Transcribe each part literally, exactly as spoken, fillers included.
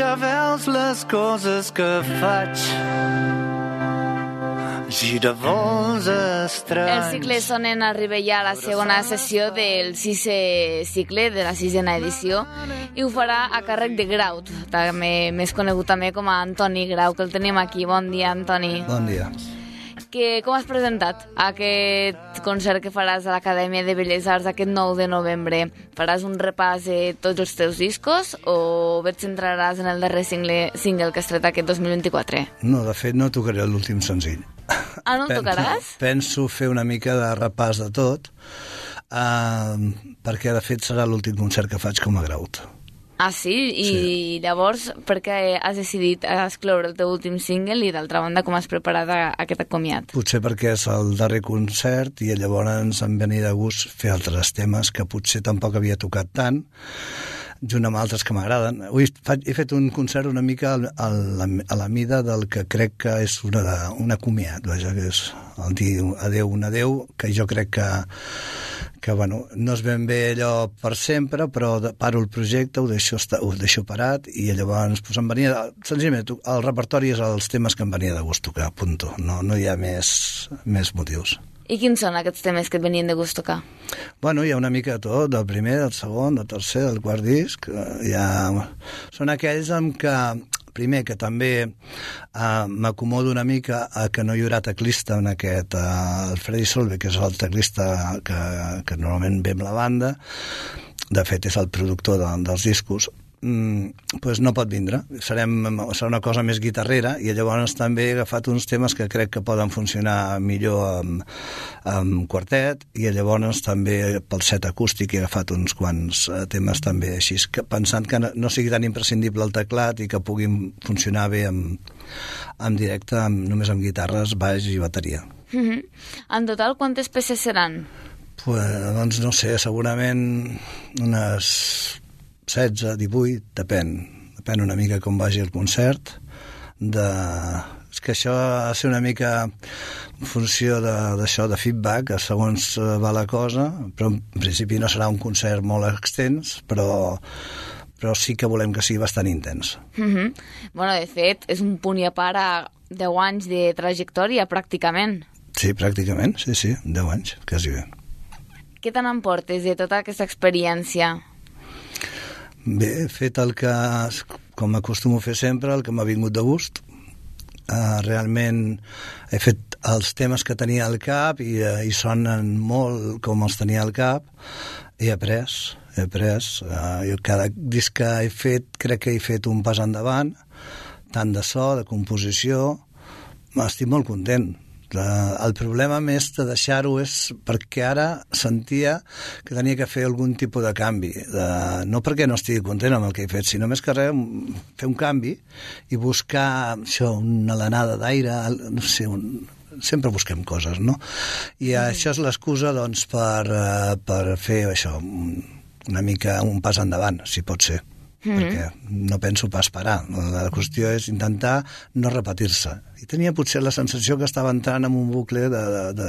ja veus les coses que faig. Gira vols estranys. El cicle Sonen arriba ja a la segona sessió del sisè cicle, de la sisena edició, i ho farà a càrrec de Graut, també més conegut també com a Antoni Grau, que el tenim aquí. Bon dia, Antoni. Bon dia. Que, com has presentat aquest concert que faràs a l'Acadèmia de Belles Arts aquest nou de novembre? Faràs un repàs de tots els teus discos o et centraràs en el darrer single, single que has tret aquest dos mil vint-i-quatre? No, de fet no tocaré l'últim senzill. Ah, no el tocaràs? Penso fer una mica de repàs de tot, uh, perquè de fet serà l'últim concert que faig com a Graut. Ah, sí? I sí. Llavors, per què has decidit excloure el teu últim single i, d'altra banda, com has preparat aquest acomiat? Potser perquè és el darrer concert i llavors em venia de gust fer altres temes que potser tampoc havia tocat tant, junt amb altres que m'agraden. Avui he fet un concert una mica a la, a la mida del que crec que és una, una comiat, vaja, que és el dir adeu, un adeu, que jo crec que, que bueno, no és ben bé allò per sempre, però paro el projecte, ho deixo, ho deixo parat, i llavors pues, em venia, senzillament, el repertori és els temes que em venia de gust tocar, punto. No, no hi ha més, més motius. I quins són aquests temes que et venien de gust tocar? Bueno, hi ha una mica de tot, del primer, del segon, del tercer, del quart disc. Hi ha... Són aquells amb què, primer, que també eh, m'acomodo una mica a que no hi haurà teclista en aquest... Eh, el Freddy Solve, que és el teclista que, que normalment ve amb la banda, de fet és el productor de, dels discos, mm, pues no pot vindre. Serem, serà una cosa més guitarrera, i llavors també he agafat uns temes que crec que poden funcionar millor amb, amb quartet, i llavors també pel set acústic he agafat uns quants temes també així, que, pensant que no sigui tan imprescindible el teclat i que puguin funcionar bé amb, en directe, amb, només amb guitarres, baix i bateria. Mm-hmm. En total, quantes peces seran? Pues, doncs no sé, segurament unes setze, divuit, depèn. Depèn una mica com vagi el concert. De... És que això ha de ser una mica en funció d'això, de, de feedback, segons va la cosa, però en principi no serà un concert molt extens, però, però sí que volem que sigui bastant intens. Mm-hmm. Bueno, de fet, és un punt i a part a deu anys de trajectòria, pràcticament. Sí, pràcticament, sí, sí, deu anys, quasi bé. Què te n'emportes de tota aquesta experiència? Bé, he fet el que, com acostumo a fer sempre, el que m'ha vingut de gust. Uh, realment he fet els temes que tenia al cap i, uh, i sonen molt com els tenia al cap. He après, he après. Uh, jo cada disc que he fet, crec que he fet un pas endavant, tant de so, de composició. Estic molt content. El problema més de deixar-ho és perquè ara sentia que tenia que fer algun tipus de canvi, de, no perquè no estigui content amb el que he fet, sinó més que res fer un canvi i buscar això, una alenada d'aire, no sé, un, sempre busquem coses, no? I mm. això és l'excusa, doncs, per, per fer això, una mica un pas endavant, si pot ser. Mm-hmm. Perquè no penso pas parar. La qüestió és intentar no repetir-se. I tenia potser la sensació que estava entrant en un bucle de, de, de,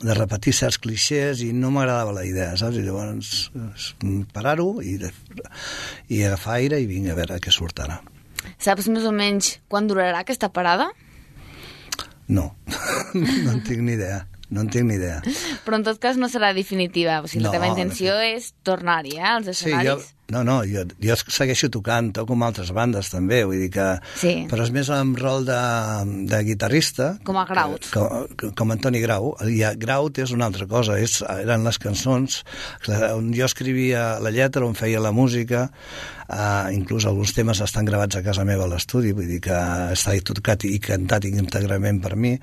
de repetir certs clixés i no m'agradava la idea, saps? I llavors parar-ho i, i agafar aire i vinga a veure què surt ara. Saps més o menys quan durarà aquesta parada? No, no en tinc ni idea. No en tinc ni idea. Però en tot cas no serà definitiva. O sigui, no, la teva intenció no. és tornar-hi, eh, als escenaris. Sí, jo, no, no, jo, jo segueixo tocant, toco amb altres bandes també, vull dir que... Sí. Però és més en rol de, de guitarrista. Com a Graut. Com, com Antoni Grau. I Graut és una altra cosa, és, eren les cançons on jo escrivia la lletra, on feia la música, uh, inclús alguns temes estan gravats a casa meva a l'estudi, vull dir que està tocat i cantat íntegrament per mi.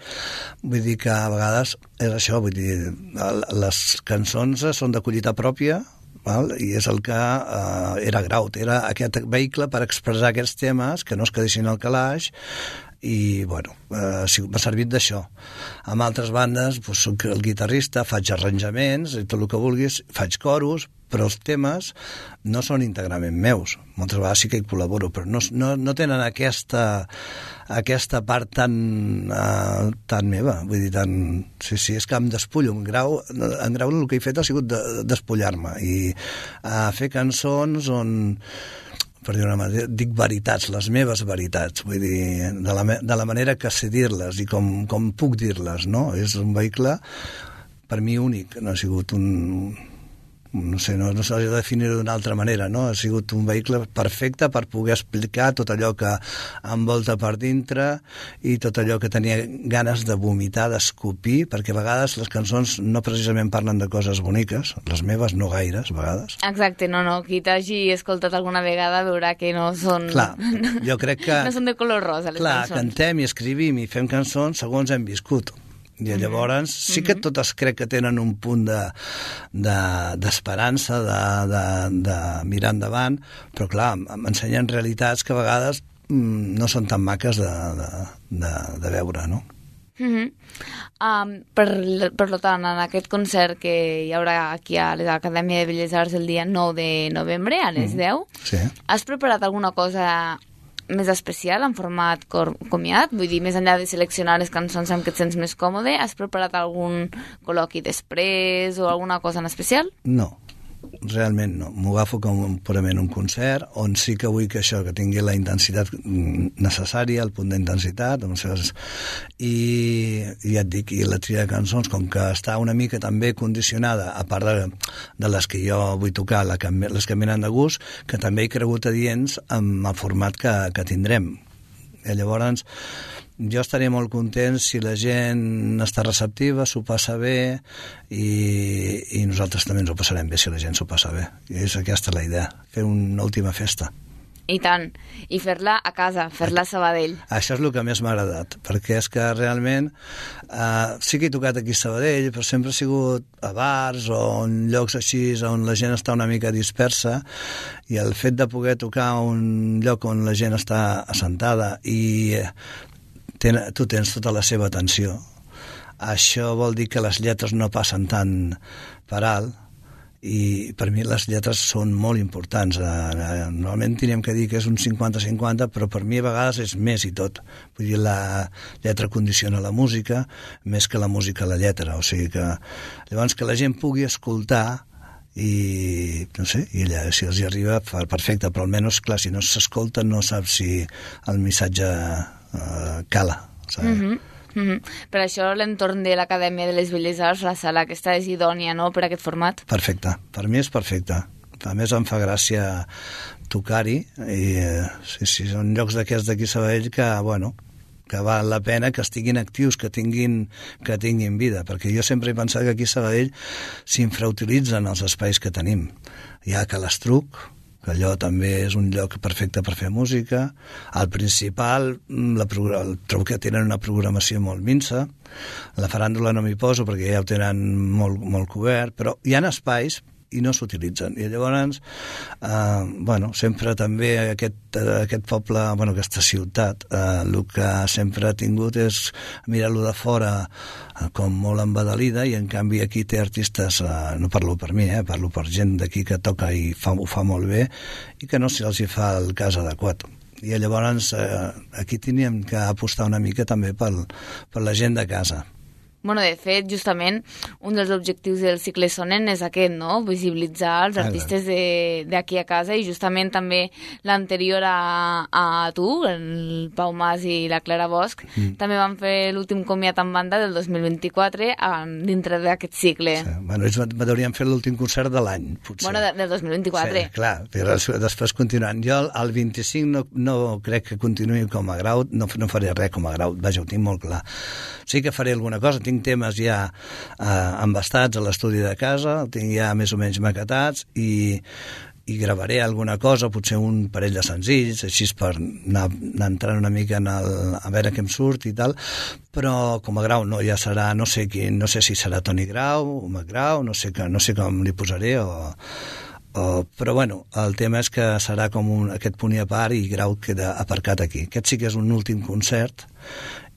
Vull dir que a vegades és això, vull dir, les cançons són de collita pròpia, val? I és el que eh, era Graut, era aquest vehicle per expressar aquests temes que no es quedessin al calaix, i bueno, eh, m'ha servit d'això. Amb altres bandes doncs, soc el guitarrista, faig arranjaments i tot el que vulguis, faig coros, però els temes no són íntegrament meus. Moltes vegades sí que hi col·laboro, però no, no, no tenen aquesta, aquesta part tan, uh, tan meva. Vull dir, tan... Sí, sí, és que em despullo. En Grau, en Grau el que he fet ha sigut de, despullar-me i uh, fer cançons on per dir una manera, dic veritats, les meves veritats, vull dir, de la, de la manera que sé dir-les i com, com puc dir-les, no? És un vehicle, per mi, únic, no ha sigut un... no sé, no, no s'ha de definir-ho d'una altra manera, no? Ha sigut un vehicle perfecte per poder explicar tot allò que envolta per dintre i tot allò que tenia ganes de vomitar, d'escopir, perquè a vegades les cançons no precisament parlen de coses boniques, les meves no gaires, a vegades. Exacte, no, no, qui t'hagi escoltat alguna vegada veurà que no són... Clar, jo crec que... no són de color rosa, les clar, cançons. Clar, cantem i escrivim i fem cançons segons hem viscut. I llavors sí que totes crec que tenen un punt de, de, d'esperança, de, de, de mirar endavant, però clar, m'ensenyen realitats que a vegades mm, no són tan maques de, de, de, de veure, no? Uh-huh. um, per, per tant, en aquest concert que hi haurà aquí a l'Acadèmia de Belles Arts el dia nou de novembre a les deu, sí. Has preparat alguna cosa més especial, en format comiat? Vull dir, més enllà de seleccionar les cançons amb què et sents més còmode, has preparat algun col·loqui després o alguna cosa en especial? No, realment no. M'ho agafo com un, purament un concert, on sí que vull que això, que tingui la intensitat necessària, el punt d'intensitat, i, i ja et dic, i la tria de cançons, com que està una mica també condicionada, a part de, de les que jo vull tocar, la que, les que m'han de gust, que també he cregut adients amb el format que, que tindrem. I llavors, jo estaré molt content si la gent està receptiva, s'ho passa bé i, i nosaltres també ens ho passarem bé si la gent s'ho passa bé. I és aquesta la idea, fer una última festa. I tant, i fer-la a casa, fer-la a Sabadell. Això és el que més m'ha agradat, perquè és que realment eh, sí que he tocat aquí a Sabadell, però sempre ha sigut a bars o en llocs així on la gent està una mica dispersa, i el fet de poder tocar un lloc on la gent està assentada i ten, tu tens tota la seva atenció, això vol dir que les lletres no passen tant per alt, i per mi les lletres són molt importants. Normalment teníem que dir que és un cinquanta cinquanta, però per mi a vegades és més i tot. Vull dir, la lletra condiciona la música més que la música la lletra, o sigui que llavors que la gent pugui escoltar i no sé, i allà, si els hi arriba perfecte, però almenys, clar, si no s'escolta no saps si el missatge eh, cala, saps? Mm-hmm. Mm-hmm. Per això l'entorn de l'Acadèmia de les Belles Arts, la sala aquesta és idònia, no?, per aquest format. Perfecte, per mi és perfecte. A més em fa gràcia tocar-hi i eh, sí, sí, són llocs d'aquests d'aquí a Sabadell que, bueno, que val la pena que estiguin actius, que tinguin, que tinguin vida, perquè jo sempre he pensat que aquí a Sabadell s'infrautilitzen els espais que tenim. Hi ha Calastruc, que allò també és un lloc perfecte per fer música. Al principal, la, trobo que tenen una programació molt minsa. La faràndula no m'hi poso perquè ja ho tenen molt, molt cobert, però hi ha espais i no s'utilitzen. I llavors, eh, bueno, sempre també aquest, aquest poble, bueno, aquesta ciutat, eh, el que sempre ha tingut és mirar-lo de fora eh, com molt embadalida, i en canvi aquí té artistes, eh, no parlo per mi, eh, parlo per gent d'aquí que toca i fa, ho fa molt bé, i que no se'ls hi fa el cas adequat. I llavors eh, aquí teníem que apostar una mica també per, per la gent de casa. Bueno, de fet, justament, un dels objectius del cicle Sonen és aquest, no?, visibilitzar els artistes d'aquí a casa, i justament també l'anterior a, a tu, el Pau Mas i la Clara Bosch, mm. també van fer l'últim comiat en banda del dos mil vint-i-quatre dintre d'aquest cicle. Sí. Bueno, ells hauríem fet l'últim concert de l'any, potser. Bueno, de, del dos mil vint-i-quatre. Sí, clar, però després continuant. Jo el vint-i-cinc no, no crec que continuï com a grau, no, no faré res com a grau, vaja, ho tinc molt clar. Sí que faré alguna cosa, tinc temes ja eh, embastats a l'estudi de casa, tinc ja més o menys maquetats, i, i gravaré alguna cosa, potser un parell de senzills, així per anar, anar entrant una mica en el, a veure què em surt i tal, però com a grau no, ja serà, no sé quin, no sé si serà Toni Grau o Macgrau, no sé, que, no sé com li posaré, o, o, però bueno, el tema és que serà com un, aquest punt i a part, i Grau queda aparcat aquí. Aquest sí que és un últim concert,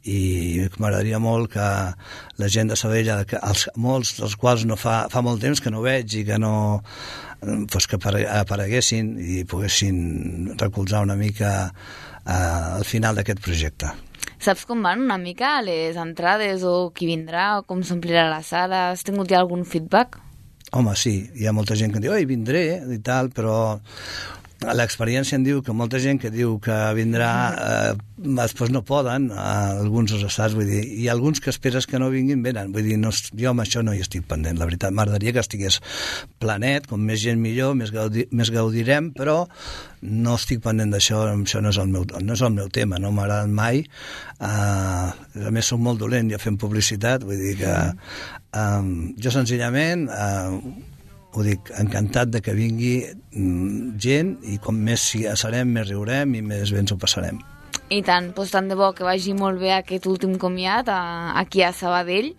i m'agradaria molt que la gent de Sabadell, que els, molts dels quals no fa, fa molt temps que no veig i que no, pues que apareguessin i poguessin recolzar una mica eh, al final d'aquest projecte. Saps com van una mica les entrades, o qui vindrà, o com s'omplirà la sala? Has tingut ja algun feedback? Home, sí, hi ha molta gent que diu, oi, vindré, i tal, però l'experiència em diu que molta gent que diu que vindrà, eh, després no poden, eh, alguns els estats, vull dir, i alguns que esperes que no vinguin, venen. Vull dir, no, jo amb això no hi estic pendent, la veritat. M'agradaria que estigués planet, com més gent millor, més, gaudi, més gaudirem, però no estic pendent d'això, això no és el meu, no és el meu tema, no m'ha agradat mai. Uh, a més, soc molt dolent ja fent publicitat, vull dir que um, jo senzillament uh, ho dic, encantat de que vingui um, gent, i com més serem, més riurem i més bé ens ho passarem. I tant, doncs tant de bo que vagi molt bé aquest últim comiat a, aquí a Sabadell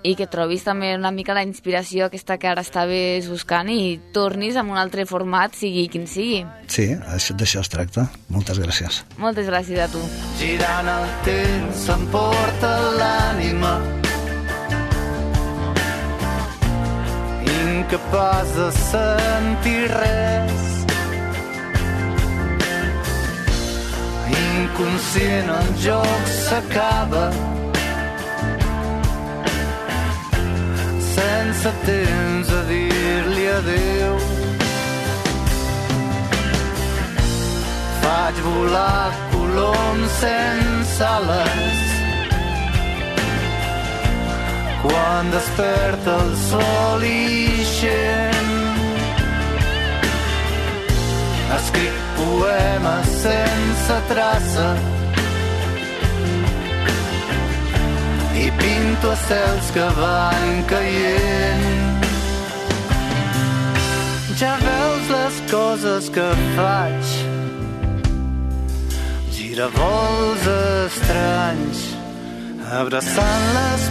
i que trobis també una mica la inspiració aquesta que ara estaves buscant i tornis amb un altre format, sigui quin sigui. Sí, d'això es tracta. Moltes gràcies. Moltes gràcies a tu. Girant el temps s'emporta l'ànima, incapaç de sentir res, inconscient el joc s'acaba, sense temps a dir-li adeu. Faig volar coloms sense ales, quan desperta el sol ixent. Escric poemes sense traça i pinto estels que van caient. Ja veus les coses que faig, giravolts estranys, abraçant les